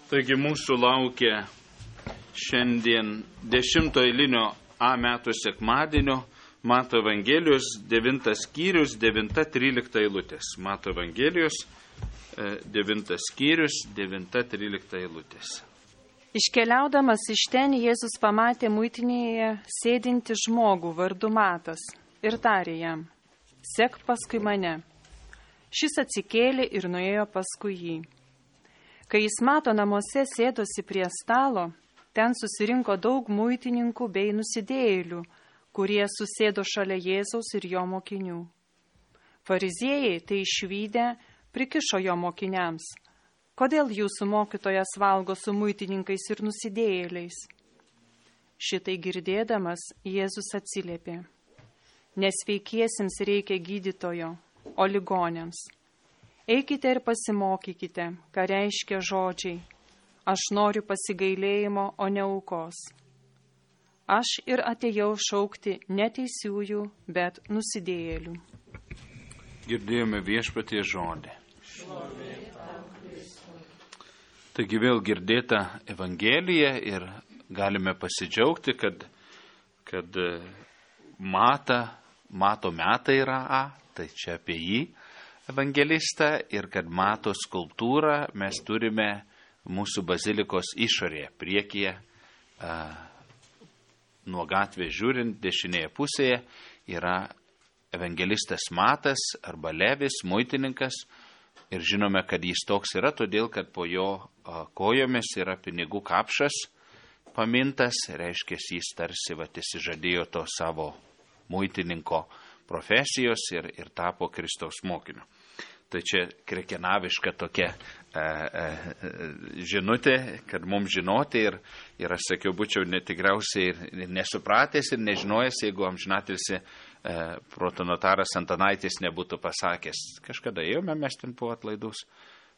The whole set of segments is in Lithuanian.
Taigi mūsų laukia šiandien 10 eilinio A metų sekmadienio Mato Evangelijos 9 skyrius, 9-13 eilutės. Mato Evangelijos 9 skyrius, 9-13 eilutės. Iškeliaudamas iš ten, Jėzus pamatė muitinėje sėdinti žmogų vardu Matas ir tarė jam: "Sek paskui mane." Šis atsikėlė ir nuėjo paskui jį. Kai jis Mato namuose sėdosi prie stalo, ten susirinko daug muitininkų bei nusidėjėlių, kurie susėdo šalia Jėzaus ir jo mokinių. Fariziejai tai išvydę prikišo jo mokiniams: "Kodėl jūsų mokytojas valgo su muitininkais ir nusidėjėliais?" Šitai girdėdamas, Jėzus atsiliepė: "Nesveikiesiems reikia gydytojo, o ligoniams. Eikite ir pasimokykite, ką reiškia žodžiai: aš noriu pasigailėjimo, o ne aukos. Aš ir atėjau šaukti ne teisiųjų, bet nusidėjėlių." Girdėjome Viešpaties žodį. Taigi vėl girdėta Evangelija ir galime pasidžiaugti, kad Mato metai yra tai čia apie jį evangelistą, ir kad Mato skulptūrą mes turime mūsų bazilikos išorėje, priekyje, nuo gatvės žiūrint, dešinėje pusėje yra evangelistas Matas arba Levis, muitininkas, ir žinome, kad jis toks yra, todėl kad po jo kojomis yra pinigų kapšas pamintas, reiškia, jis tarsi įsižadėjo to savo muitininko profesijos ir tapo Kristaus mokiniu. Tai čia krekenaviška tokia žinutė, kad mums žinoti, ir aš sakiau, būčiau netikriausiai ir nesupratęs ir nežinojęs, jeigu amžinatilsį protonotaras Antanaitis nebūtų pasakęs. Kažkada ėjome mes ten po atlaidus,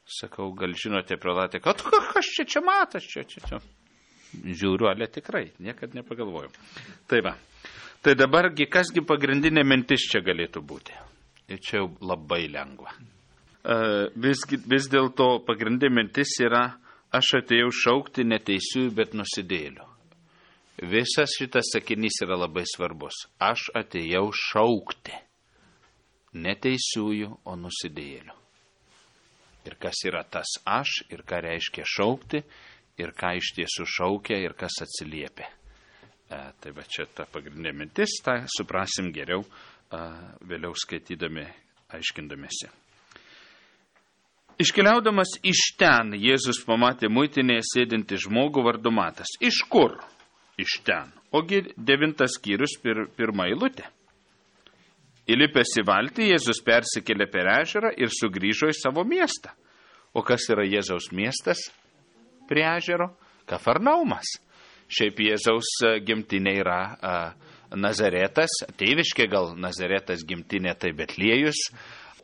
sakau, gal žinote, prelatė, kad kas čia Matas, čia. Žiūriu, ale tikrai, niekad nepagalvojau. Tai va. Tai dabargi, kasgi pagrindinė mintis čia galėtų būti? Ir čia jau labai lengva. Vis dėlto pagrindinė mintis yra: aš atėjau šaukti neteisiųjų, bet nusidėjėlių. Visas šitas sakinys yra labai svarbus. Aš atėjau šaukti neteisiųjų, o nusidėjėlių. Ir kas yra tas aš, ir ką reiškia šaukti, ir ką iš tiesų šaukia, ir kas atsiliepia. Tai va čia ta pagrindinė mintis, tą suprasim geriau vėliau skaitydami, aiškindamėsi. Iškeliaudamas iš ten, Jėzus pamatė muitinėje sėdinti žmogų vardu Matas. Iš kur? Iš ten. Ogi 9 skyrius, 1 eilutė. Įlipęs į valtį, Jėzus persikėlė per ežerą ir sugrįžo į savo miestą. O kas yra Jėzaus miestas prie ežero? Kafarnaumas. Šiaip Jėzaus gimtinė yra Nazaretas, tėviškė gal Nazaretas gimtinė, tai Betliejus,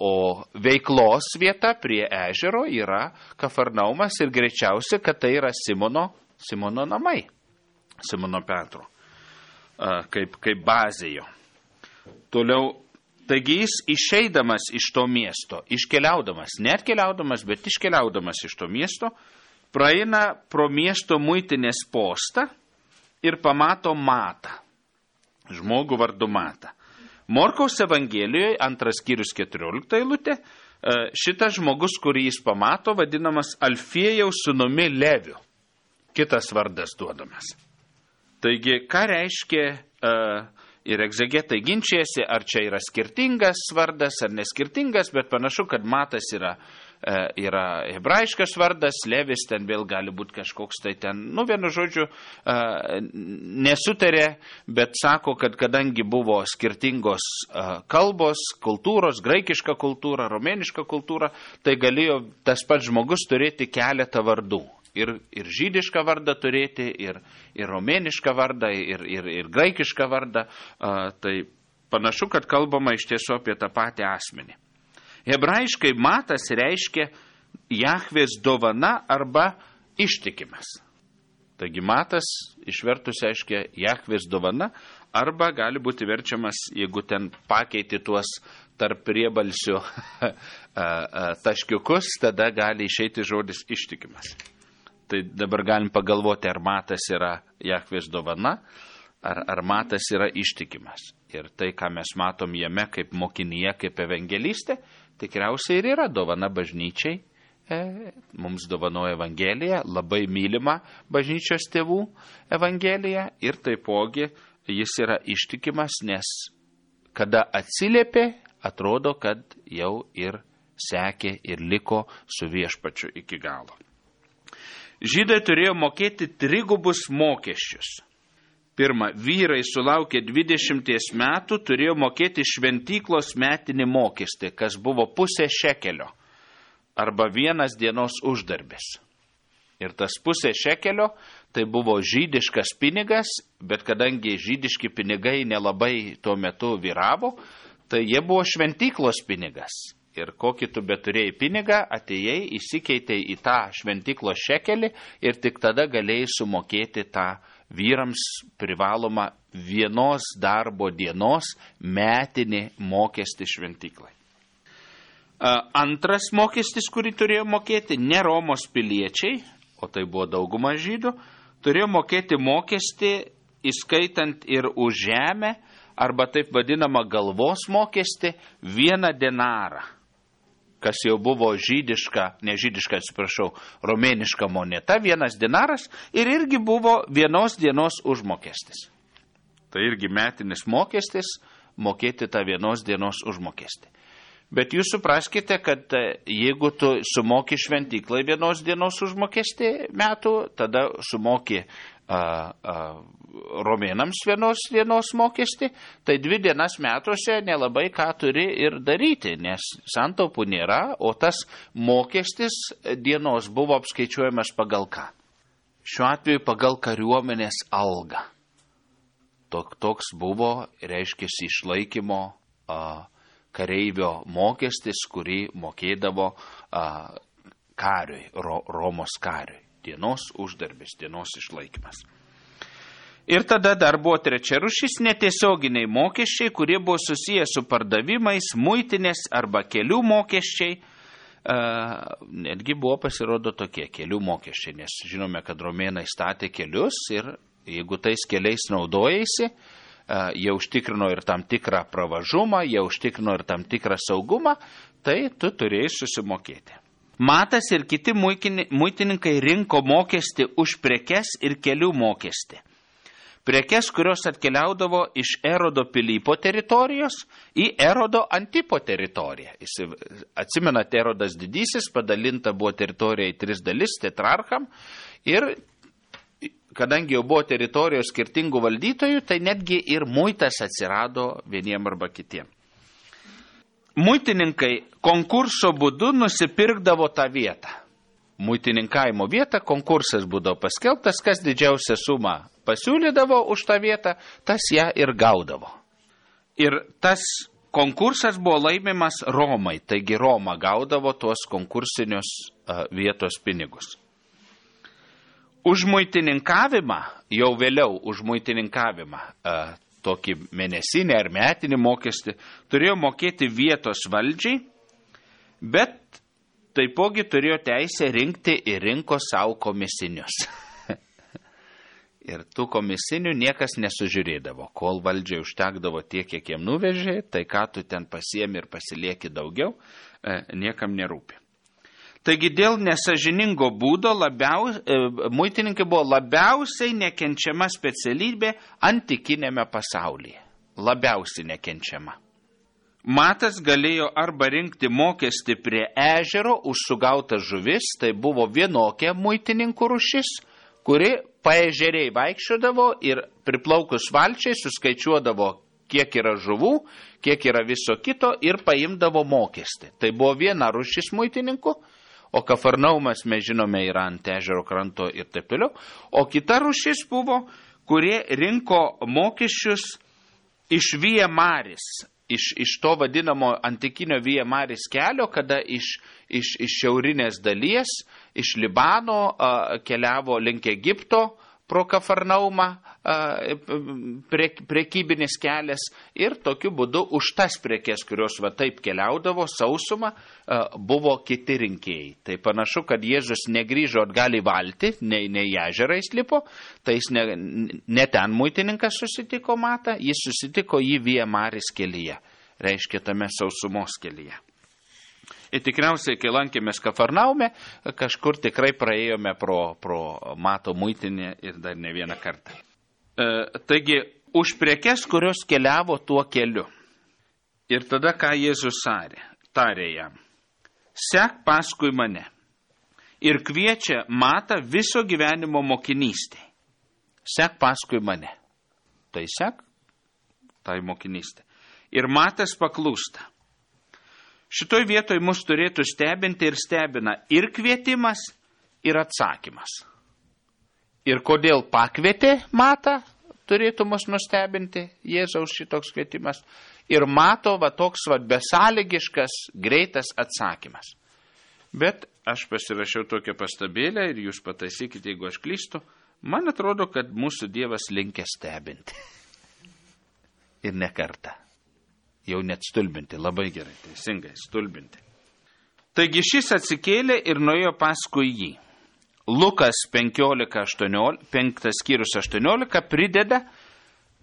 o veiklos vieta prie ežero yra Kafarnaumas ir greičiausiai, kad tai yra Simono namai, Simono Petro, kaip bazė jo. Toliau, taigi jis išeidamas iš to miesto, iškeliaudamas, ne atkeliaudamas, bet iškeliaudamas iš to miesto, praeina pro miesto muitinės postą ir pamato Matą, žmogų vardu Matą. Morkaus Evangelijoje, 2 skyrius 14 eilutė, šitas žmogus, kurį jis pamato, vadinamas Alfiejaus sūnumi Leviu. Kitas vardas duodamas. Taigi, ką reiškia, ir egzegetai ginčiasi, ar čia yra skirtingas vardas, ar neskirtingas, bet panašu, kad Matas yra hebrajiškas vardas, Levis ten vėl gali būti kažkoks tai ten, vienu žodžiu, nesutarė, bet sako, kad kadangi buvo skirtingos kalbos, kultūros, graikiška kultūra, romėniška kultūra, tai galėjo tas pats žmogus turėti keletą vardų. Ir žydišką vardą turėti, ir romėnišką vardą, ir graikišką vardą. Tai panašu, kad kalbama iš tiesų apie tą patį asmenį. Hebrajiškai Matas reiškia Jahvės dovana arba ištikimas. Taigi Matas išvertus reiškia Jahvės dovana, arba gali būti verčiamas, jeigu ten pakeiti tuos tarp priebalsių taškiukus, tada gali išeiti žodis ištikimas. Tai dabar galim pagalvoti, ar Matas yra Jahvės dovana, ar Matas yra ištikimas. Ir tai, ką mes matom jame kaip mokinyje, kaip evangelistė, tikriausiai ir yra dovana bažnyčiai. Mums dovanoja Evangelija, labai mylima bažnyčios tėvų Evangelija ir taipogi jis yra ištikimas, nes kada atsiliepė, atrodo, kad jau ir sekė ir liko su viešpačiu iki galo. Žydai turėjo mokėti 3 mokesčius. Pirma, vyrai sulaukę 20 metų turėjo mokėti šventyklos metinį mokestį, kas buvo 0,5 šekelio. Arba 1 dienos uždarbis. Ir tas 0,5 šekelio tai buvo žydiškas pinigas, bet kadangi žydiški pinigai nelabai tuo metu vyravo, tai jie buvo šventyklos pinigas. Ir kokį tu beturėjai pinigą, atėjai, įsikeitei į tą šventyklos šekelį ir tik tada galėjai sumokėti tą vyrams privalomą 1 darbo dienos metinį mokestį šventyklai. Antras mokestis, kurį turėjo mokėti ne Romos piliečiai, o tai buvo dauguma žydų, turėjo mokėti mokestį, įskaitant ir už žemę, arba taip vadinamą galvos mokestį, 1 denarą, kas jau buvo romėniška moneta, 1 denaras, ir irgi buvo 1 dienos užmokestis. Tai irgi metinis mokestis, mokėti tą 1 dienos užmokestį. Bet jūs supraskite, kad jeigu tu sumoki šventyklai 1 dienos užmokestį metų, tada sumoki romėnams 1 dienos mokestį, tai 2 dienas metuose nelabai ką turi ir daryti, nes santaupų nėra, o tas mokestis dienos buvo apskaičiuojamas pagal ką? Šiuo atveju pagal kariuomenės algą. Toks buvo, reiškia, išlaikymo kareivio mokestis, kurį mokėdavo kariui, Romos kariui. Dienos uždarbis, dienos išlaikymas. Ir tada dar buvo 3 rūšis netiesioginiai mokesčiai, kurie buvo susiję su pardavimais, muitinės arba kelių mokesčiai. Netgi buvo pasirodo tokie kelių mokesčiai, nes žinome, kad romėnai statė kelius ir jeigu tais keliais naudojasi, jie užtikrino ir tam tikrą pravažumą, jie užtikrino ir tam tikrą saugumą, tai tu turėjai susimokėti. Matas ir kiti muitininkai rinko mokestį už prekes ir kelių mokestį. Prekes, kurios atkeliaudavo iš Erodo Pilypo teritorijos į Erodo Antipo teritoriją. Atsimenate, Erodas didysis, padalinta buvo teritorija į 3 dalis, tetrarcham, ir kadangi jau buvo teritorijos skirtingų valdytojų, tai netgi ir muitas atsirado vieniem arba kitiem. Muitininkai konkurso būdu nusipirkdavo tą vietą. Muitininkavimo vietą konkursas būdavo paskelbtas, kas didžiausią sumą pasiūlydavo už tą vietą, tas ją ir gaudavo. Ir tas konkursas buvo laimimas Romai, taigi Roma gaudavo tuos konkursinius vietos pinigus. Už muitininkavimą, jau vėliau už muitininkavimą, tokį mėnesinį ar metinį mokestį, turėjo mokėti vietos valdžiai, bet taipogi turėjo teisę rinkti ir rinko savo komisinius. Ir tų komisinių niekas nesužiūrėdavo. Kol valdžiai užtekdavo tiek, kiek jiem nuvežė, tai ką tu ten pasiemi ir pasilieki daugiau, niekam nerūpi. Taigi dėl nesažiningo būdo muitininkai buvo labiausiai nekenčiama specialybė antikinėme pasaulyje. Labiausiai nekenčiama. Matas galėjo arba rinkti mokestį prie ežero už sugautas žuvis, tai buvo vienokia muitininkų rūšis, kuri paežeriai vaikščiodavo ir priplaukus valčiai suskaičiuodavo, kiek yra žuvų, kiek yra viso kito ir paimdavo mokestį. Tai buvo viena rūšis muitininkų. O Kafarnaumas, mes žinome, yra ant ežero kranto ir taip toliau. O kita rūšis buvo, kurie rinko mokesčius iš Via Maris, iš to vadinamo antikinio Via Maris kelio, kada iš šiaurinės dalies, iš Libano keliavo link Egipto pro Kafarnaumą prekybinis kelias ir tokiu būdu už tas prekes, kurios va taip keliaudavo sausumą, buvo kiti rinkėjai. Tai panašu, kad Jėzus negrįžo atgal į valtį, ne į ežerą įslipo, tai jis ne ten muitininkas susitiko Matą, jis susitiko jį Via Maris kelyje, reiškia tame sausumos kelyje. Ir tikriausiai, kai lankėmės Kafarnaume, kažkur tikrai praėjome pro Mato muitinę ir dar ne vieną kartą. Taigi, už prekes, kurios keliavo tuo keliu. Ir tada, ką Jėzus tarė jam, sek paskui mane. Ir kviečia Matą viso gyvenimo mokinystė. Sek paskui mane. Tai sek, tai mokinystė. Ir Matas paklūsta. Šitoj vietoj mus turėtų stebinti ir stebina ir kvietimas, ir atsakymas. Ir kodėl pakvietė Matą, turėtų mus nustebinti Jėzaus šitoks kvietimas. Ir Mato toks besąlygiškas, greitas atsakymas. Bet aš pasirašiau tokią pastabėlę ir jūs pataisykite, jeigu aš klystu. Man atrodo, kad mūsų Dievas linkęs stebinti. Ir ne kartą. Jau net stulbinti, labai gerai, teisingai, stulbinti. Taigi šis atsikėlė ir nuėjo paskui jį. Lukas 5 skyrius 18 prideda,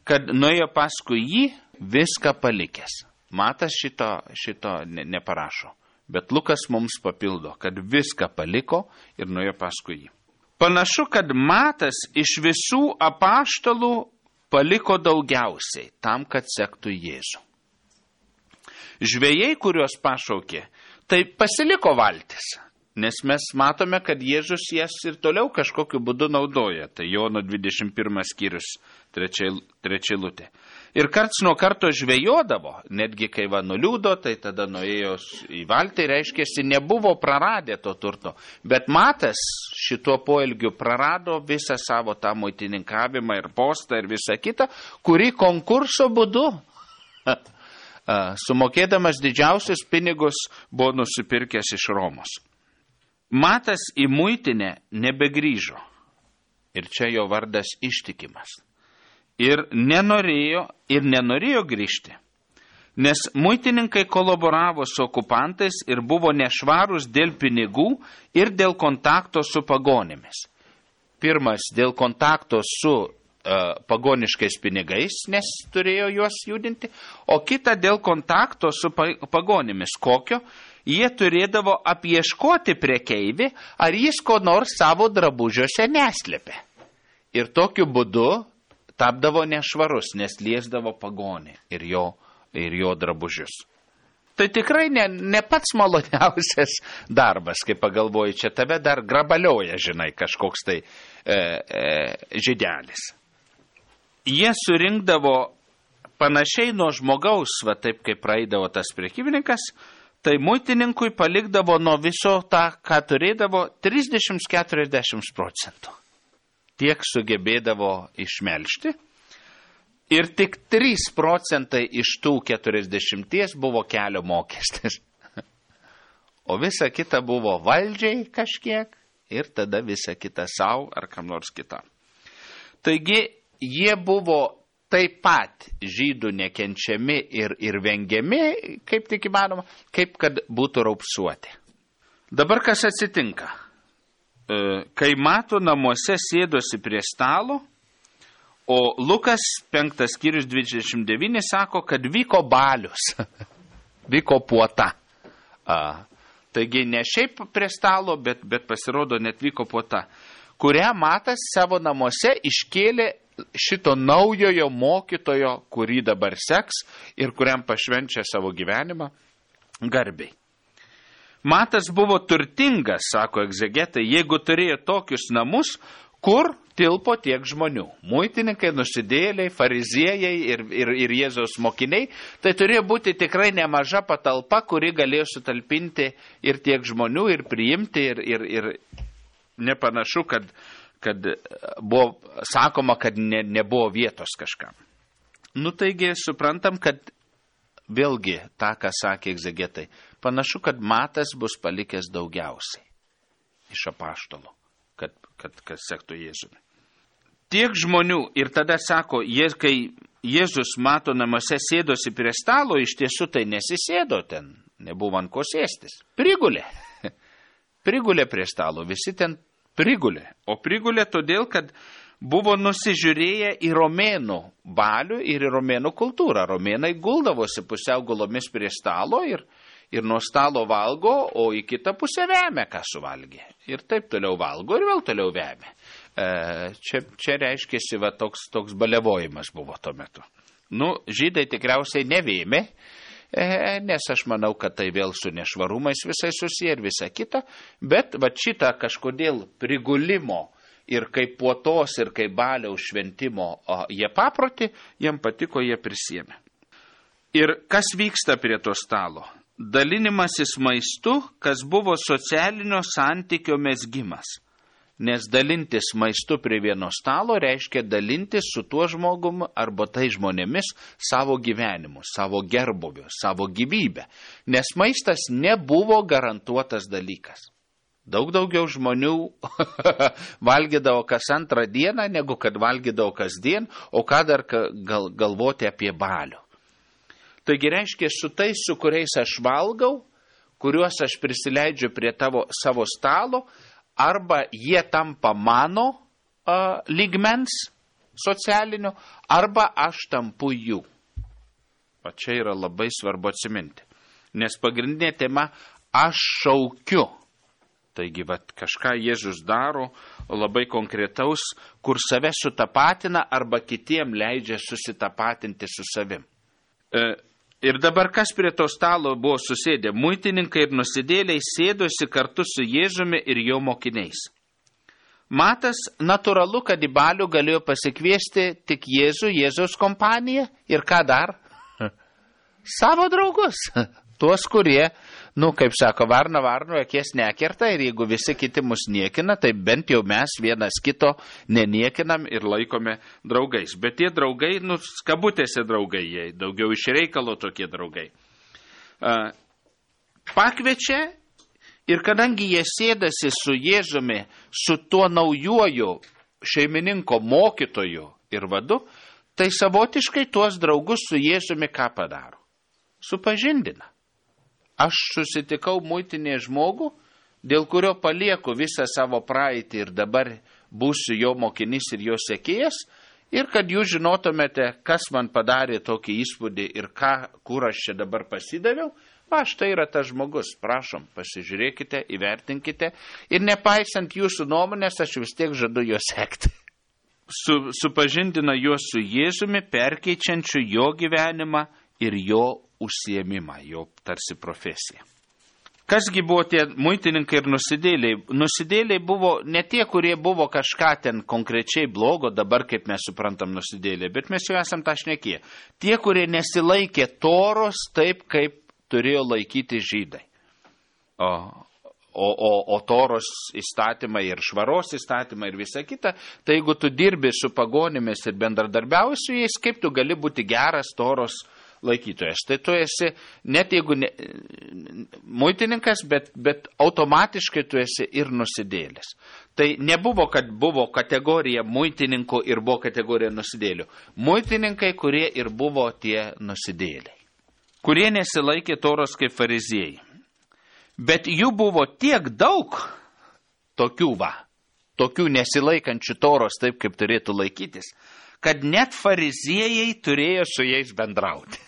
kad nuėjo paskui jį viską palikęs. Matas šito neparašo, bet Lukas mums papildo, kad viską paliko ir nuėjo paskui jį. Panašu, kad Matas iš visų apaštalų paliko daugiausiai tam, kad sektų Jėzų. Žvejai, kuriuos pašaukė, tai pasiliko valtis, nes mes matome, kad Jėzus jas ir toliau kažkokiu būdu naudoja. Tai Jono 21 skyrius 3 eilutė. Ir karts nuo karto žvejodavo, netgi kai nuliūdo, tai tada nuėjo į valtį, reiškėsi, nebuvo praradę to turto. Bet Matas šituo poelgiu prarado visą savo tą muitininkavimą ir postą ir visą kitą, kurį konkurso būdu sumokėdamas didžiausius pinigus buvo nusipirkęs iš Romos. Matas į muitinę nebegrįžo. Ir čia jo vardas Ištikimas. Ir nenorėjo grįžti. Nes muitininkai kolaboravo su okupantais ir buvo nešvarūs dėl pinigų ir dėl kontakto su pagonimis. Pirmas dėl kontakto su pagoniškais pinigais, nes turėjo juos judinti, o kita dėl kontakto su pagonimis. Kokio? Jie turėdavo apieškoti prekeivį, ar jis ko nors savo drabužiuose neslėpė. Ir tokiu būdu tapdavo nešvarus, nes liesdavo pagonį ir jo drabužius. Tai tikrai ne pats maloniausias darbas, kai pagalvoji, čia tave dar grabalioja, žinai, kažkoks tai žydelis. Jie surinkdavo panašiai nuo žmogaus, taip kaip praeidavo tas prekybininkas, tai muitininkui palikdavo nuo viso tą, ką turėdavo, 30-40%. Tiek sugebėdavo išmelžti. Ir tik 3% iš tų 40 buvo kelio mokestis. O visa kita buvo valdžiai kažkiek ir tada visa kita savo ar kam nors kitam. Taigi, jie buvo taip pat žydų nekenčiami ir vengiami, kaip tik įmanoma, kaip kad būtų raupsuoti. Dabar kas atsitinka? Kai Mato namuose sėdosi prie stalo, o Lukas 5 skyrius 29 sako, kad vyko balius, vyko puota. Taigi ne šiaip prie stalo, bet pasirodo net vyko puota, kurią Matas savo namuose iškėlė šito naujojo mokytojo, kurį dabar seks ir kuriam pašvenčia savo gyvenimą, garbiai. Matas buvo turtingas, sako egzegetai, jeigu turėjo tokius namus, kur tilpo tiek žmonių. Muitininkai, nusidėjėliai, fariziejai ir Jėzaus mokiniai, tai turėjo būti tikrai nemaža patalpa, kuri galėjo sutalpinti ir tiek žmonių, ir priimti, ir nepanašu, kad buvo sakoma, kad nebuvo vietos kažkam. Taigi suprantam, kad vėlgi tą, ką sakė egzegetai, panašu, kad Matas bus palikęs daugiausiai iš apaštalų, kad sektų Jėzumi. tiek žmonių ir tada sako, kai Jėzus mato namuose sėdosi prie stalo, iš tiesų tai nesisėdo ten, nebuvo ant ko sėstis. Prigulė. Prigulė prie stalo, visi ten prigulė. O prigulė todėl, kad buvo nusižiūrėję į romėnų balių ir į romėnų kultūrą. Romėnai guldavosi pusiau gulomis prie stalo ir nuo stalo valgo, o į kitą pusę vemia, ką suvalgė. Ir taip toliau valgo ir vėl toliau vemia. Čia reiškėsi, toks balevojimas buvo tuo metu. Žydai tikriausiai nevėmė, nes aš manau, kad tai vėl su nešvarumais visai susiję ir visa kita, bet šitą kažkodėl prigulimo ir kaip puotos ir kaip baliaus šventimo jie paproti, jiem patiko, jie prisėmė. Ir kas vyksta prie to stalo? Dalinimasis maistu, kas buvo socialinio santykio mezgimas. Nes dalintis maistu prie vieno stalo reiškia dalintis su tuo žmogum arba tai žmonėmis savo gyvenimu, savo gerbuviu, savo gyvybę. Nes maistas nebuvo garantuotas dalykas. Daug daugiau žmonių valgydavo kas antrą dieną, negu kad valgydavo kasdien, o ką dar galvoti apie balių. Taigi reiškia, su tais, su kuriais aš valgau, kuriuos aš prisileidžiu prie savo stalo, arba jie tampa mano lygmens socialinio, arba aš tampu jų. O čia yra labai svarbu atsiminti. Nes pagrindinė tema aš šaukiu. Taigi, kažką Jėzus daro labai konkretaus, kur save sutapatina arba kitiem leidžia susitapatinti su savim. Ir dabar kas prie to stalo buvo susėdę? Muitininkai ir nusidėliai sėdosi kartu su Jėzumi ir jo mokiniais. Matas, natūralu, kad į balių galėjo pasikviesti tik Jėzaus kompaniją ir ką dar? Savo draugus. Tuos, kurie, kaip sako, varna varno akies nekerta ir jeigu visi kiti mus niekina, tai bent jau mes vienas kito neniekinam ir laikome draugais. Bet tie draugai, kabutėse draugai, jie daugiau iš reikalo tokie draugai. Pakviečia ir kadangi jie sėdasi su Jėzumi, su tuo naujuoju šeimininko mokytoju ir vadu, tai savotiškai tuos draugus su Jėzumi ką padaro? Supažindina. Aš susitikau muitinėje žmogų, dėl kurio palieku visą savo praeitį ir dabar būsiu jo mokinys ir jo sekėjas, ir kad jūs žinotumėte, kas man padarė tokį įspūdį ir kur aš čia dabar pasidaviau, štai yra tas žmogus, prašom, pasižiūrėkite, įvertinkite ir nepaisant jūsų nuomonės, aš vis tiek žadu jo sekti. Supažindina juos su Jėzumi, perkeičiančiu jo gyvenimą ir jo užsiėmimą, jo tarsi profesiją. Kasgi buvo tie muitininkai ir nusidėliai? Nusidėliai buvo ne tie, kurie buvo kažką ten konkrečiai blogo, dabar kaip mes suprantam nusidėliai, bet mes jau esam tą šnekėję. Tie, kurie nesilaikė Toros taip, kaip turėjo laikyti žydai. O Toros įstatymai ir švaros įstatymai ir visa kita, tai jeigu tu dirbi su pagonimis ir bendradarbiauji su jais, kaip tu gali būti geras Toros laikytojas. Tai tu esi, net jeigu muitininkas, bet automatiškai tu esi ir nusidėlis. Tai nebuvo, kad buvo kategorija muitininkų ir buvo kategorija nusidėlių. Muitininkai, kurie ir buvo tie nusidėliai, kurie nesilaikė Toros kaip fariziejai. Bet jų buvo tiek daug tokių nesilaikančių Toros taip, kaip turėtų laikytis, kad net fariziejai turėjo su jais bendrauti.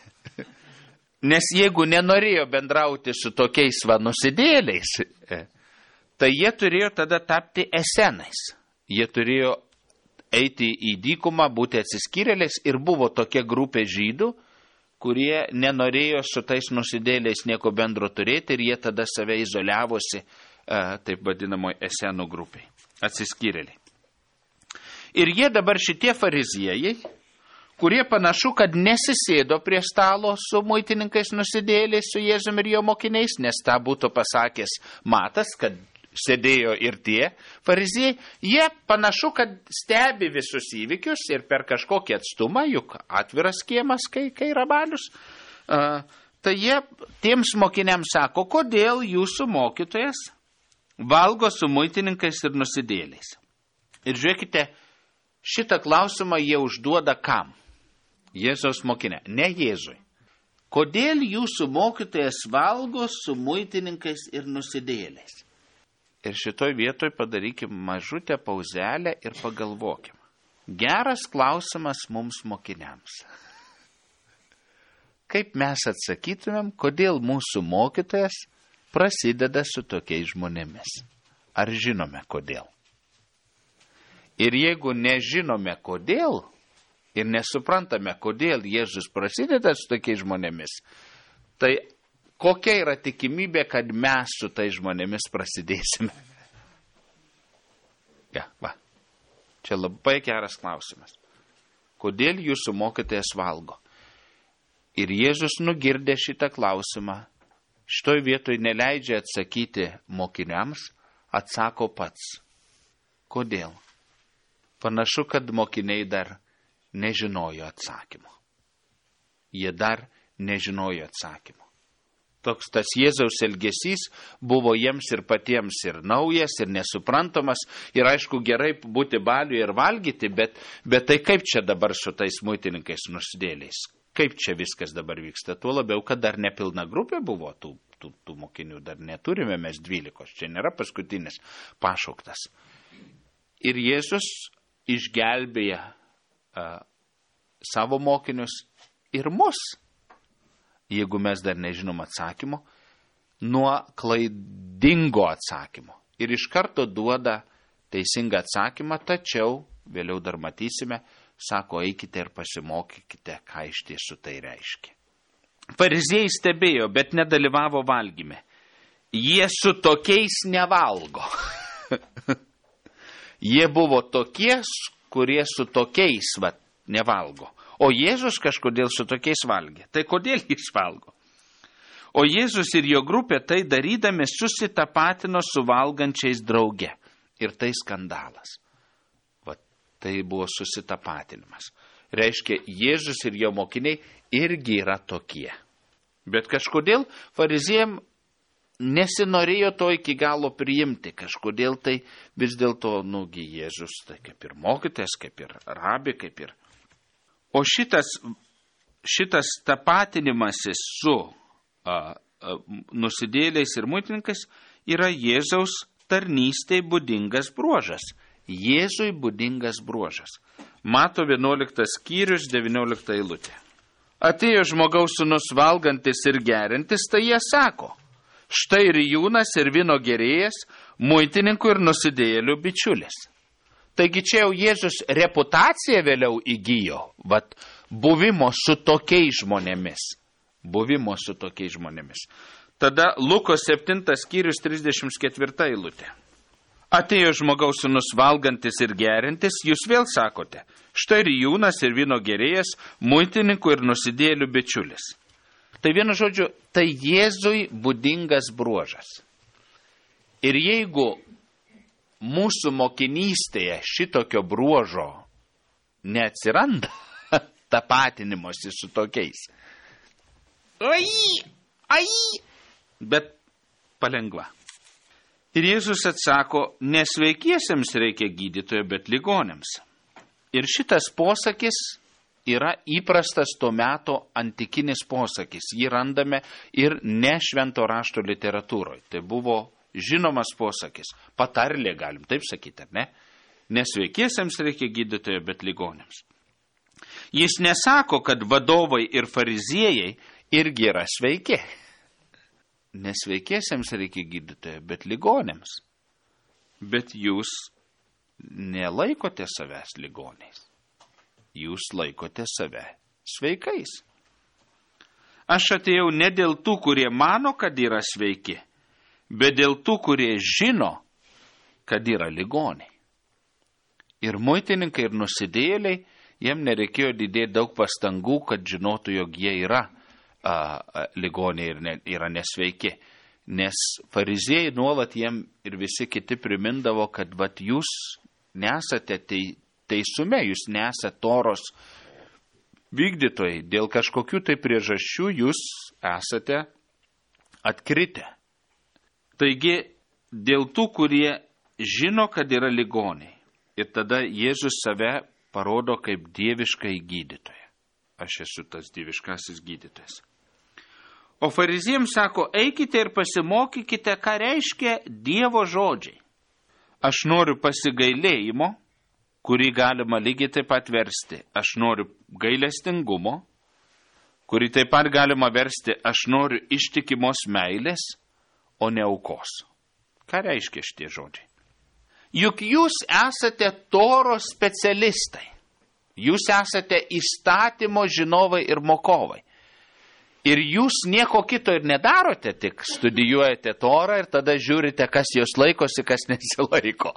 Nes jeigu nenorėjo bendrauti su tokiais nusidėliais, tai jie turėjo tada tapti esenais. Jie turėjo eiti į dykumą, būti atsiskyrėliais ir buvo tokia grupė žydų, kurie nenorėjo su tais nusidėliais nieko bendro turėti ir jie tada save izoliavosi, taip vadinamoje esenų grupiai, atsiskyrėliai. Ir jie dabar šitie fariziejai, kurie panašu, kad nesisėdo prie stalo su muitininkais nusidėliais, su Jėzumi ir jo mokiniais, nes tą būtų pasakęs Matas, kad sėdėjo ir tie fariziejai, jie panašu, kad stebi visus įvykius ir per kažkokį atstumą, juk atviras kiemas, kai yra balius, tai jie tiems mokiniams sako, kodėl jūsų mokytojas valgo su muitininkais ir nusidėliais. Ir žiūrėkite, šitą klausimą jie užduoda kam? Jėzaus mokinė, ne Jėzui. Kodėl jūsų mokytojas valgo su muitininkais ir nusidėjėliais? Ir šitoj vietoj padarykim mažutę pauzelę ir pagalvokim. Geras klausimas mums mokiniams. Kaip mes atsakytumėm, kodėl mūsų mokytojas prasideda su tokiais žmonėmis? Ar žinome kodėl? Ir jeigu nežinome kodėl ir nesuprantame, kodėl Jėzus prasideda su tokiais žmonėmis, tai kokia yra tikimybė, kad mes su tais žmonėmis prasidėsime? Ja, va. Čia labai geras klausimas. Kodėl jūsų mokytojas valgo? Ir Jėzus nugirdė šitą klausimą, šitoj vietoj neleidžia atsakyti mokiniams, atsako pats. Kodėl? Panašu, kad mokiniai dar nežinojo atsakymo. Jie dar nežinojo atsakymo. Toks tas Jėzaus elgesys buvo jiems ir patiems ir naujas, ir nesuprantamas, ir aišku gerai būti baliuje ir valgyti, bet tai kaip čia dabar su tais muitininkais nusidėliais? Kaip čia viskas dabar vyksta? Tuo labiau, kad dar nepilna grupė buvo tų mokinių, dar neturime mes 12, čia nėra paskutinis pašauktas. Ir Jėzus išgelbėja savo mokinius ir mus, jeigu mes dar nežinom atsakymo, nuo klaidingo atsakymo. Ir iš karto duoda teisingą atsakymą, tačiau, vėliau dar matysime, sako, eikite ir pasimokykite, ką iš tiesų tai reiškia. Fariziejai stebėjo, bet nedalyvavo valgyme. Jie su tokiais nevalgo. Jie buvo tokie, kurie su tokiais nevalgo. O Jėzus kažkodėl su tokiais valgė. Tai kodėl jis valgo? O Jėzus ir jo grupė tai darydami susitapatino su valgančiais drauge. Ir tai skandalas. Tai buvo susitapatinimas. Reiškia, Jėzus ir jo mokiniai irgi yra tokie. Bet kažkodėl fariziejam nesinorėjo to iki galo priimti. Kažkodėl tai vis dėlto, Jėzus, tai kaip ir mokytojas, kaip ir rabi, kaip ir. O šitas tapatinimasis su nusidėliais ir muitininkais yra Jėzaus tarnystei būdingas bruožas. Jėzui būdingas bruožas. Mato 11 skyrius, 19 eilutė. Atėjo žmogaus sūnus valgantis ir gerintis, tai jie sako, štai ir jūnas ir vyno gerėjas, muitininkų ir nusidėjėlių bičiulis. Taigi čia jau Jėzus reputaciją vėliau įgijo, buvimo su tokiais žmonėmis. Buvimo su tokiais žmonėmis. Tada Luko 7 skyrius 34 eilutė. Atėjo žmogaus sūnus valgantis ir gerintis, jūs vėl sakote, štai ir jūnas ir vyno gerėjas, muitininkų ir nusidėjėlių bičiulis. Tai vienu žodžiu, tai Jėzui būdingas bruožas. Ir jeigu mūsų mokinystėje šitokio bruožo neatsiranda, tapatinimuose su tokiais, bet palengva. Ir Jėzus atsako, nesveikiesiems reikia gydytojo, bet ligonėms. Ir šitas posakis yra įprastas to meto antikinis posakis. Jį randame ir ne švento rašto literatūroje. Tai buvo žinomas posakis. Patarlė, galim taip sakyti, ar ne? Nesveikiesiems reikia gydytojo, bet ligonėms. Jis nesako, kad vadovai ir fariziejai irgi yra sveiki. Nesveikiesiems reikia gydytojo, bet ligonėms. Bet jūs nelaikote savęs ligoniais. Jūs laikote save sveikais. Aš atėjau ne dėl tų, kurie mano, kad yra sveiki, bet dėl tų, kurie žino, kad yra ligoniai. Ir muitininkai, ir nusidėjėliai, jiem nereikėjo didėti daug pastangų, kad žinotų, jog jie yra ligoniai ir yra nesveiki. Nes fariziejai nuolat jiem ir visi kiti primindavo, kad jūs nesate teisume, jūs nesate Toros vykdytojai. Dėl kažkokių tai priežasčių jūs esate atkritę. Taigi, dėl tų, kurie žino, kad yra ligoniai. Ir tada Jėzus save parodo kaip dieviškai gydytoją. Aš esu tas dieviškasis gydytojas. O fariziejams sako, eikite ir pasimokykite, ką reiškia Dievo žodžiai. Aš noriu pasigailėjimo, kurį galima lygiai taip pat versti. Aš noriu gailestingumo, kurį taip pat galima versti. Aš noriu ištikimos meilės, o ne aukos. Ką reiškia šitie žodžiai? Juk jūs esate Toros specialistai. Jūs esate įstatymo žinovai ir mokovai. Ir jūs nieko kito ir nedarote, tik studijuojate Torą ir tada žiūrite, kas jos laikosi, kas nesilaiko.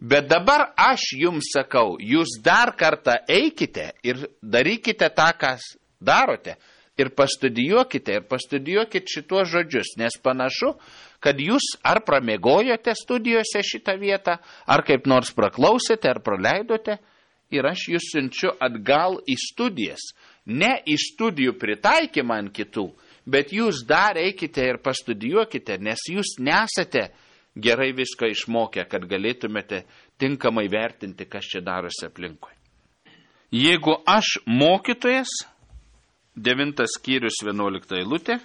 Bet dabar aš jums sakau, jūs dar kartą eikite ir darykite tą, kas darote. Ir pastudijuokit šituos žodžius, nes panašu, kad jūs ar pramiegojote studijose šitą vietą, ar kaip nors praklausėte, ar praleidote. Ir aš jūs siunčiu atgal į studijas. Ne į studijų pritaikymą ant kitų, bet jūs dar eikite ir pastudijuokite, nes jūs nesate gerai viską išmokę, kad galėtumėte tinkamai vertinti, kas čia darosi aplinkui. Jeigu aš mokytojas, 9 skyrius 11 eilutė,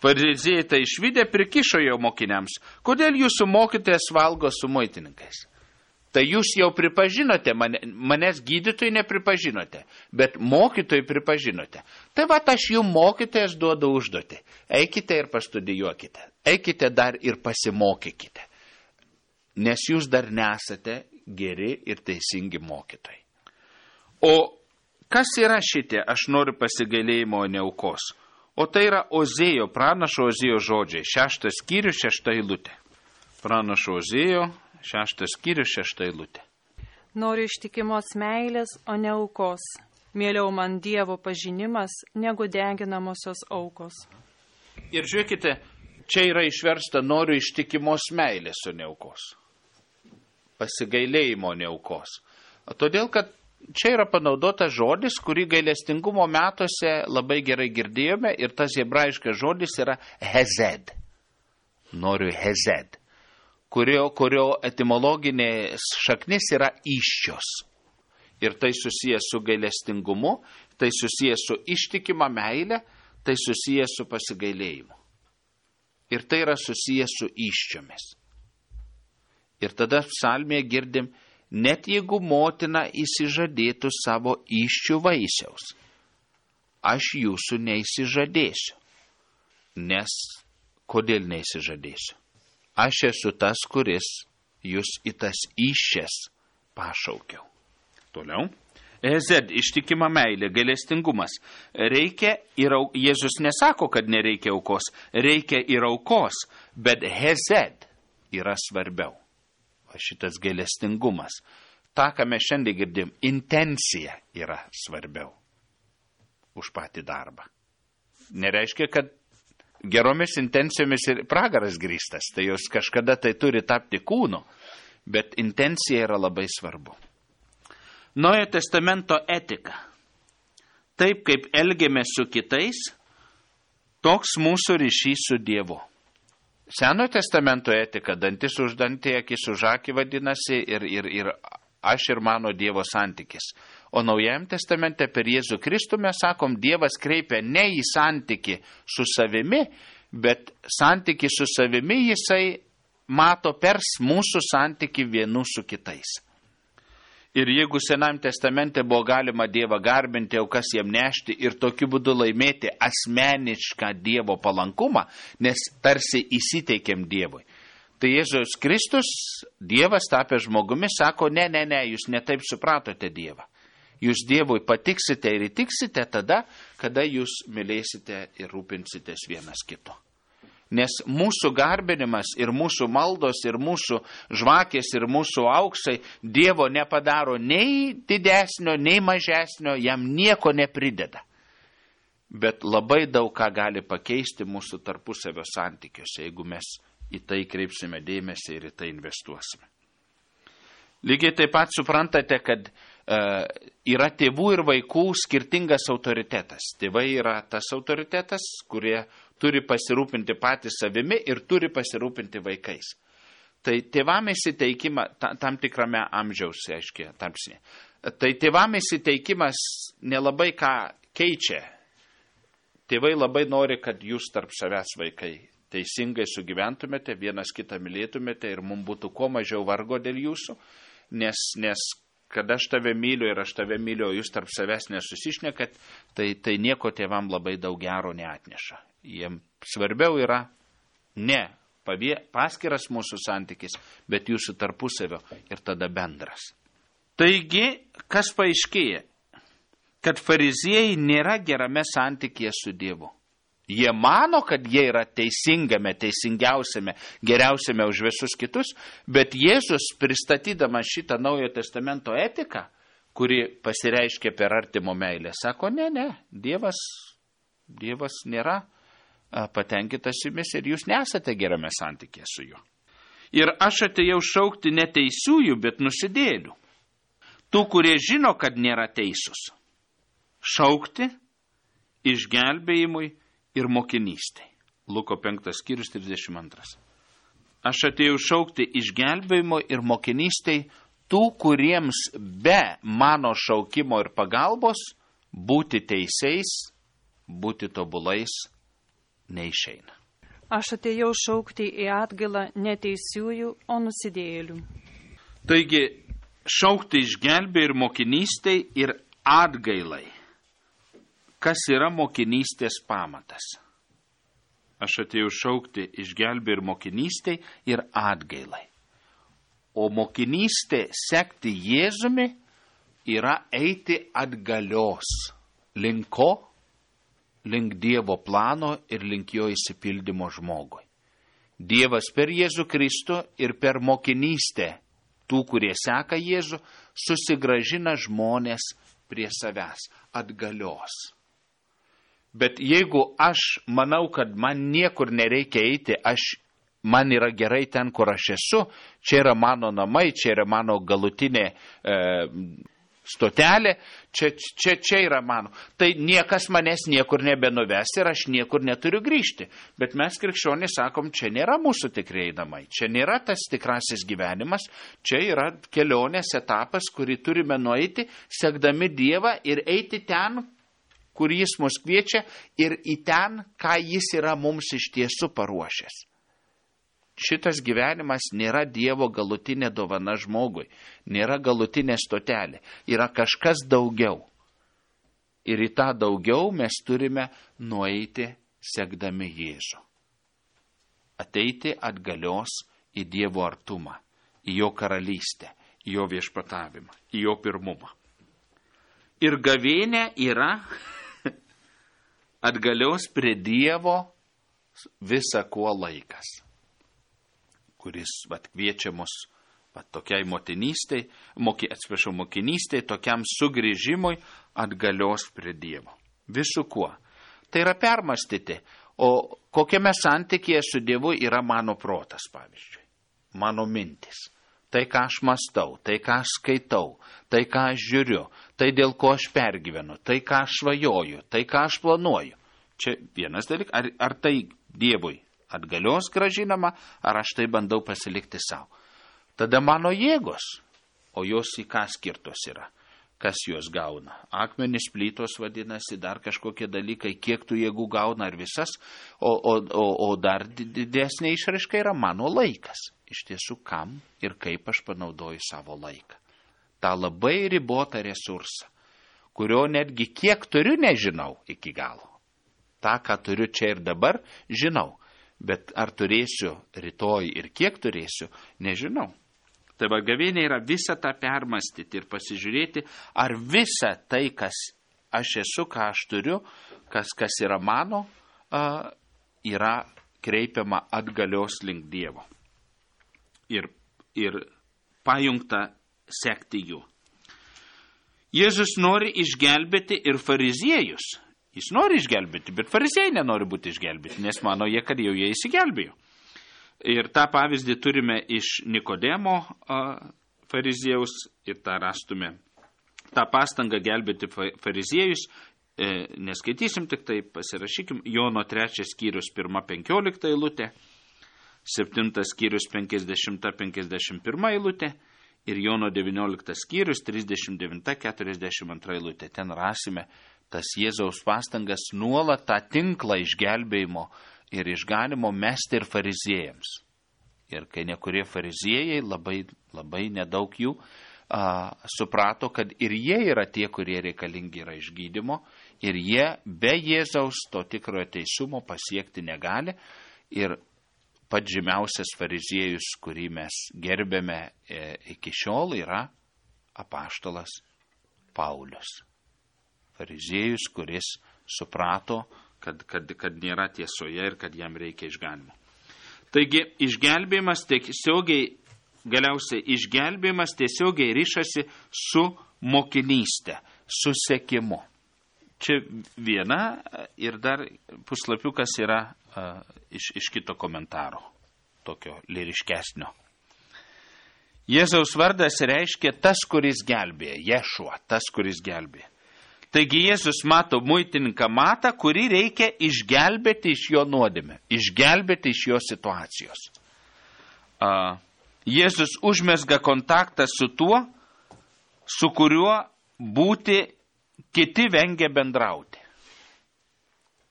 fariziejai tai išvydę prikišo jo mokiniams, kodėl jūsų mokytojas valgo su muitininkais? Tai jūs jau pripažinote, manęs gydytojai nepripažinote, bet mokytojai pripažinote. Tai va, aš jums mokytojas duodu užduotį. Eikite ir pastudijuokite. Eikite dar ir pasimokykite. Nes jūs dar nesate geri ir teisingi mokytojai. O kas yra šitie, aš noriu pasigailėjimo, o ne aukos? O tai yra Ozėjo, pranašo Ozėjo žodžiai, 6 skyrius 6 eilutė. Pranašo Ozėjo, 6 skyrius 6 eilutė. Noriu ištikimos meilės, o ne aukos. Mieliau man Dievo pažinimas, negu deginamosios aukos. Ir žiūrėkite, čia yra išversta noriu ištikimos meilės, o ne aukos. Pasigailėjimo, ne aukos. Todėl, kad čia yra panaudotas žodis, kurį gailestingumo metuose labai gerai girdėjome, ir tas hebrajiškas žodis yra hezed. Noriu hezed. Kurio etimologinė šaknis yra įsčios. Ir tai susijęs su gailestingumu, tai susijęs su ištikima meilė, tai susijęs su pasigailėjimu. Ir tai yra susijęs su įsčiomis. Ir tada psalmėje girdim, net jeigu motina įsižadėtų savo įsčių vaisiaus, aš jūsų neįsižadėsiu. Nes kodėl neįsižadėsiu? Aš esu tas, kuris jūs į tas įsčias pašaukiau. Toliau. Hezed, ištikima meilė, gailestingumas. Reikia ir Jėzus nesako, kad nereikia aukos. Reikia ir aukos, bet hezed yra svarbiau. O šitas gailestingumas. Ta, ką mes šiandien girdim, intencija yra svarbiau už patį darbą. Nereiškia, kad geromis intencijomis ir pragaras grįstas, tai jos kažkada tai turi tapti kūnu, bet intencija yra labai svarbu. Naujojo testamento etika. Taip, kaip elgiamės su kitais, toks mūsų ryšys su Dievu. Senojo testamento etika, dantis už dantį, akis už akį vadinasi, ir aš ir mano Dievo santykis. O Naujajam testamente per Jėzų Kristų mes sakom, Dievas kreipia ne į santykį su savimi, bet santykį su savimi jisai mato per mūsų santykį vienų su kitais. Ir jeigu Senajam testamente buvo galima Dievą garbinti, aukas jam nešti ir tokiu būdu laimėti asmenišką Dievo palankumą, nes tarsi įsiteikėm Dievui. Tai Jėzus Kristus, Dievas tapęs žmogumi, sako, ne, jūs netaip supratote Dievą. Jūs Dievui patiksite ir įtiksite tada, kada jūs mylėsite ir rūpinsitės vienas kito. Nes mūsų garbinimas ir mūsų maldos ir mūsų žvakės ir mūsų auksai Dievo nepadaro nei didesnio, nei mažesnio, jam nieko neprideda. Bet labai daug ką gali pakeisti mūsų tarpusavio santykiuose, jeigu mes į tai kreipsime dėmesį ir į tai investuosime. Lygiai taip pat suprantate, kad yra tėvų ir vaikų skirtingas autoritetas. Tėvai yra tas autoritetas, kurie turi pasirūpinti patys savimi ir turi pasirūpinti vaikais. tai tėvam įsiteikimą tam tikrame amžiaus, aiškiai, tarpsnė. Tai tėvam įsiteikimas nelabai ką keičia. Tėvai labai nori, kad jūs tarp savęs vaikai teisingai sugyventumėte, vienas kitą mylėtumėte ir mums būtų kuo mažiau vargo dėl jūsų, nes kad aš tave myliu ir aš tave myliu, o jūs tarp savęs nesusišnekat, tai nieko tėvam labai daug gero neatneša. Jiem svarbiau yra ne paskiras mūsų santykis, bet jūsų tarpusavio ir tada bendras. Taigi, kas paaiškėja? Kad fariziejai nėra gerame santykėje su Dievu. Jie mano, kad jie yra teisingame, teisingiausiame, geriausiame už visus kitus, bet Jėzus, pristatydamas šitą Naujojo Testamento etiką, kuri pasireiškia per artimo meilę, sako, ne, Dievas nėra patenkintas jumis ir jūs nesate gerame santykėje su juo. Ir aš atėjau šaukti ne teisiųjų, bet nusidėlių. Tų, kurie žino, kad nėra teisūs. Šaukti išgelbėjimui ir mokinystai. Luko 5 skyrius 32. Aš atėjau šaukti išgelbėjimo ir mokinystai tų, kuriems be mano šaukimo ir pagalbos būti teisiais, būti tobulais neišeina. Aš atėjau šaukti į atgailą ne teisiųjų, o nusidėjėlių. Taigi, šaukti išgelbėjimui ir mokinystai ir atgailai. Kas yra mokinystės pamatas? Aš atėjau šaukti išgelbėjimui ir mokinystai ir atgailai. O mokinystė sekti Jėzumi yra eiti atgalios. Link ko? Link Dievo plano ir link jo išsipildymo žmogui. Dievas per Jėzų Kristų ir per mokinystę tų, kurie seka Jėzų, susigrąžina žmonės prie savęs atgalios. Bet jeigu aš manau, kad man niekur nereikia eiti, man yra gerai ten, kur aš esu, čia yra mano namai, čia yra mano galutinė stotelė, čia yra mano. Tai niekas manęs niekur nebenuves ir aš niekur neturiu grįžti. Bet mes krikščionys sakom, čia nėra mūsų tikrieji namai, čia nėra tas tikrasis gyvenimas, čia yra kelionės etapas, kurį turime nueiti, sekdami Dievą ir eiti ten, kur jis mus kviečia ir į ten, ką jis yra mums iš tiesų paruošęs. Šitas gyvenimas nėra Dievo galutinė dovana žmogui, nėra galutinė stotelė, yra kažkas daugiau. Ir į tą daugiau mes turime nueiti sekdami Jėzų. Ateiti atgalios į Dievo artumą, į jo karalystę, į jo viešpatavimą, į jo pirmumą. Ir gavėnė yra atgalios prie Dievo visa kuo laikas, kuris kviečia mus tokiai mokinystei, tokiam sugrįžimui atgalios prie Dievo. Visų kuo. Tai yra permastyti, o kokiame santykėje su Dievu yra mano protas, pavyzdžiui, mano mintis. Tai, ką aš mastau, tai, ką aš skaitau, tai, ką aš žiūriu, tai, dėl ko aš pergyvenu, tai, ką aš svajoju, tai, ką aš planuoju. Čia vienas dalykas, ar tai Dievui atgalios gražinama, ar aš tai bandau pasilikti savo. Tada mano jėgos, o jos į ką skirtos yra, kas jos gauna. Akmenys, plytos vadinasi, dar kažkokie dalykai, kiek tų jėgų gauna, ar visas, o dar didesnė išraiška yra mano laikas. Iš tiesų, kam ir kaip aš panaudoju savo laiką. Ta labai ribotą resursą, kurio netgi kiek turiu, nežinau iki galo. Ta, ką turiu čia ir dabar, žinau, bet ar turėsiu rytoj ir kiek turėsiu, nežinau. Tai gavėnė yra visą tą permastyti ir pasižiūrėti, ar visa tai, kas aš esu, ką aš turiu, kas yra mano, yra kreipiama atgalios link Dievo. Ir pajungta sekti jų. Jėzus nori išgelbėti ir fariziejus. Jis nori išgelbėti, bet fariziejai nenori būti išgelbėti, nes mano jie, kad jau jie įsigelbėjo. Ir tą pavyzdį turime iš Nikodemo fariziejaus ir tą rastume. tą pastangą gelbėti fariziejus, neskaitysim, tik tai pasirašykim, Jono 3 skyrius 1:15 eilutė. 7 skyrius 50-51 eilutė ir Jono 19 skyrius 39-42 eilutė. Ten rasime tas Jėzaus pastangas nuolat tą tinklą išgelbėjimo ir išganimo mesti ir fariziejams. Ir kai nekurie fariziejai, labai nedaug jų, suprato, kad ir jie yra tie, kurie reikalingi yra išgydymo, ir jie be Jėzaus to tikrojo teisumo pasiekti negali. Ir pats žymiausias fariziejus, kurį mes gerbėme iki šiol, yra apaštalas Paulius. Fariziejus, kuris suprato, kad nėra tiesoje ir kad jam reikia išganimo. Taigi, išgelbėjimas tiesiogiai ryšasi su mokinystė, su sekimu. Čia viena ir dar puslapiukas yra iš kito komentaro, tokio lyriškesnio. Jėzaus vardas reiškia tas, kuris gelbėja, Ješua, tas, kuris gelbėja. Taigi Jėzus mato muitininką Matą, kurį reikia išgelbėti iš jo nuodėmę, išgelbėti iš jo situacijos. Jėzus užmesga kontaktą su tuo, su kuriuo būti kiti vengia bendrauti.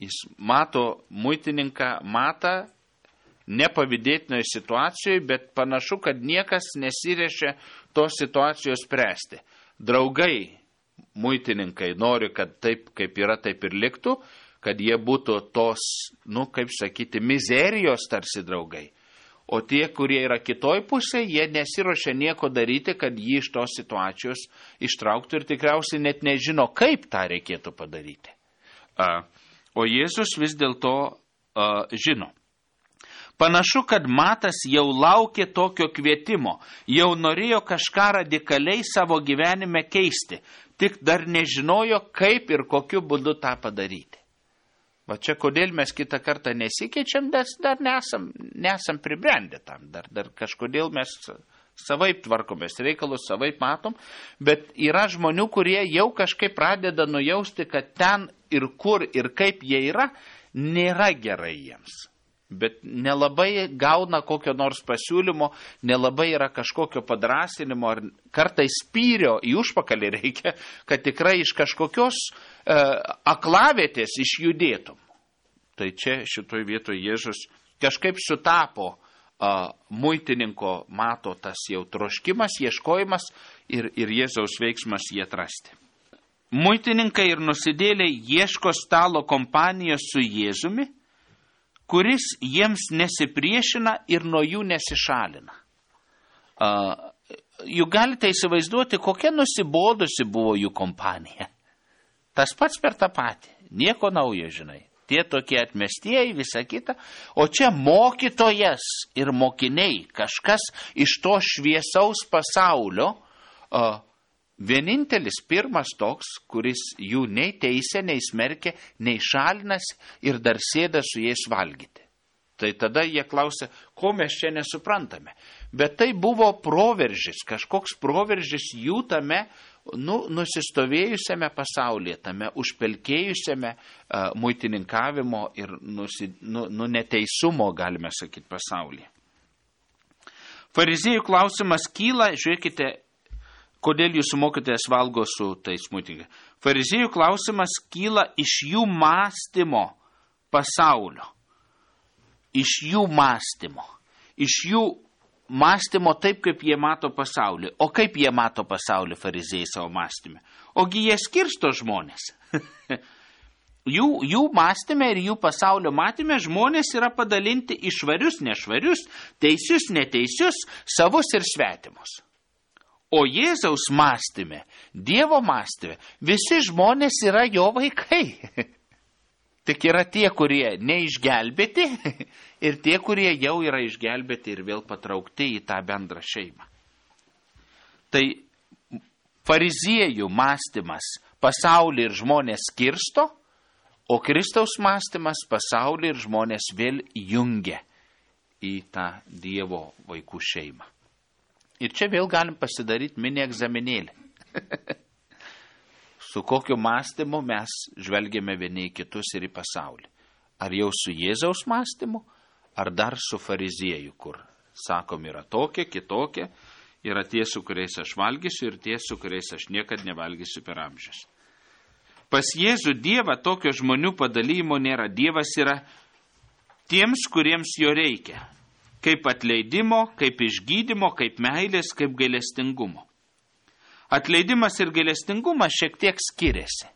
Jis mato muitininką Matą nepavydėtinoje situacijoje, bet panašu, kad niekas nesirešia tos situacijos spręsti. Draugai, muitininkai nori, kad taip, kaip yra, taip ir liktų, kad jie būtų tos, mizerijos tarsi draugai. O tie, kurie yra kitoj pusėje, jie nesiruošia nieko daryti, kad jį iš tos situacijos ištrauktų ir tikriausiai net nežino, kaip tą reikėtų padaryti. O Jėzus vis dėlto žino. Panašu, kad Matas jau laukė tokio kvietimo, jau norėjo kažką radikaliai savo gyvenime keisti, tik dar nežinojo, kaip ir kokiu būdu tą padaryti. Va čia kodėl mes kitą kartą nesikeičiam, nes dar nesam pribrendę tam, dar kažkodėl mes savaip tvarkomės reikalus, savaip matom, bet yra žmonių, kurie jau kažkaip pradeda nujausti, kad ten ir kur ir kaip jie yra, nėra gerai jiems. Bet nelabai gauna kokio nors pasiūlymo, nelabai yra kažkokio padrasinimo, ar kartais spyrio į užpakalį reikia, kad tikrai iš kažkokios aklavietės išjudėtum. Tai čia šitoj vietoje Jėzus kažkaip sutapo muitininko Mato tas jau troškimas, ieškojimas ir Jėzaus veiksmas jį atrasti. Muitininkai ir nusidėliai ieško stalo kompanijos su Jėzumi, kuris jiems nesipriešina ir nuo jų nesišalina. Juk galite įsivaizduoti, kokia nusibodusi buvo jų kompanija. Tas pats per tą patį, nieko naujo, žinai. Tie tokie atmestieji, visa kita. O čia mokytojas ir mokiniai, kažkas iš to šviesaus pasaulio, vienintelis pirmas toks, kuris jų nei teisia, nei smerkia, nei šalinas ir dar sėda su jais valgyti. Tai tada jie klausia, ko mes čia nesuprantame. Bet tai buvo proveržis, kažkoks proveržis jų tame nusistovėjusiame pasaulyje, tame užpelkėjusiame muitininkavimo ir neteisumo, galime sakyti, pasaulyje. Fariziejų klausimas kyla, žiūrėkite, kodėl jūsų mokytojas valgo su tais muitininkais. Fariziejų klausimas kyla iš jų mąstymo pasaulio. Iš jų mąstymo taip, kaip jie mato pasaulį. O kaip jie mato pasaulį fariziejai savo mąstymę? Ogi jie skirsto žmonės. Jų mąstyme ir jų pasaulio matyme žmonės yra padalinti į švarius, nešvarius, teisius, neteisius, savus ir svetimus. O Jėzaus mąstyme, Dievo mąstyme, visi žmonės yra jo vaikai. Tik yra tie, kurie neišgelbėti ir tie, kurie jau yra išgelbėti ir vėl patraukti į tą bendrą šeimą. Tai fariziejų mąstymas pasaulį ir žmonės skirsto, o Kristaus mąstymas pasaulį ir žmonės vėl jungia į tą Dievo vaikų šeimą. Ir čia vėl galim pasidaryti mini egzaminėlį. Su kokiu mąstymu mes žvelgiame vieni į kitus ir į pasaulį. Ar jau su Jėzaus mąstymu, ar dar su fariziejų, kur, sakom, yra tokie, kitokie, yra tie, su kuriais aš valgysiu ir tie, su kuriais aš niekad nevalgysiu per amžius. Pas Jėzų Dievą tokio žmonių padalymo nėra. Dievas yra tiems, kuriems jo reikia. Kaip atleidimo, kaip išgydymo, kaip meilės, kaip gailestingumo. Atleidimas ir gailestingumas šiek tiek skiriasi.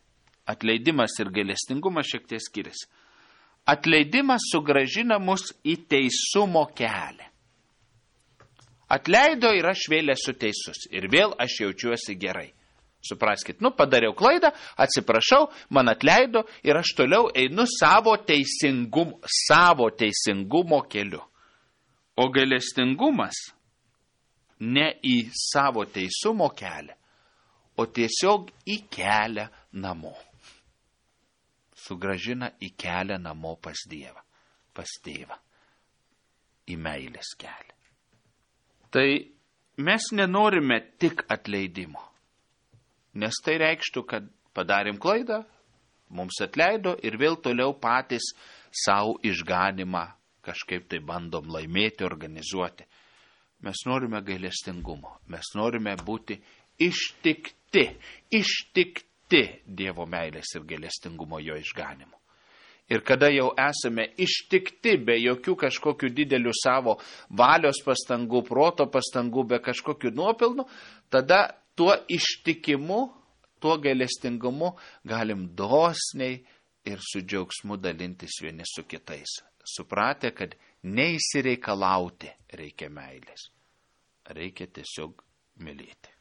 Atleidimas sugrąžina mus į teisumo kelią. Atleido ir aš vėl esu teisus. Ir vėl aš jaučiuosi gerai. Supraskit, padariau klaidą, atsiprašau, man atleido ir aš toliau einu savo teisingumo keliu. O gailestingumas ne į savo teisumo kelią, o tiesiog į kelią namo. Sugrąžina į kelią namo pas Dievą, pas Tėvą, į meilės kelią. Tai mes nenorime tik atleidimo, nes tai reikštų, kad padarėm klaidą, mums atleido ir vėl toliau patys savo išganimą kažkaip tai bandom laimėti, organizuoti. Mes norime gailestingumo, mes norime būti ištikti Dievo meilės ir gailestingumo jo išganimu. Ir kada jau esame ištikti be jokių kažkokių didelių savo valios pastangų, proto pastangų, be kažkokių nuopelnų, tada tuo ištikimu, tuo gailestingumu galim dosniai ir su džiaugsmu dalintis vieni su kitais. Supratę, kad neįsireikalauti reikia meilės. Reikia tiesiog mylėti.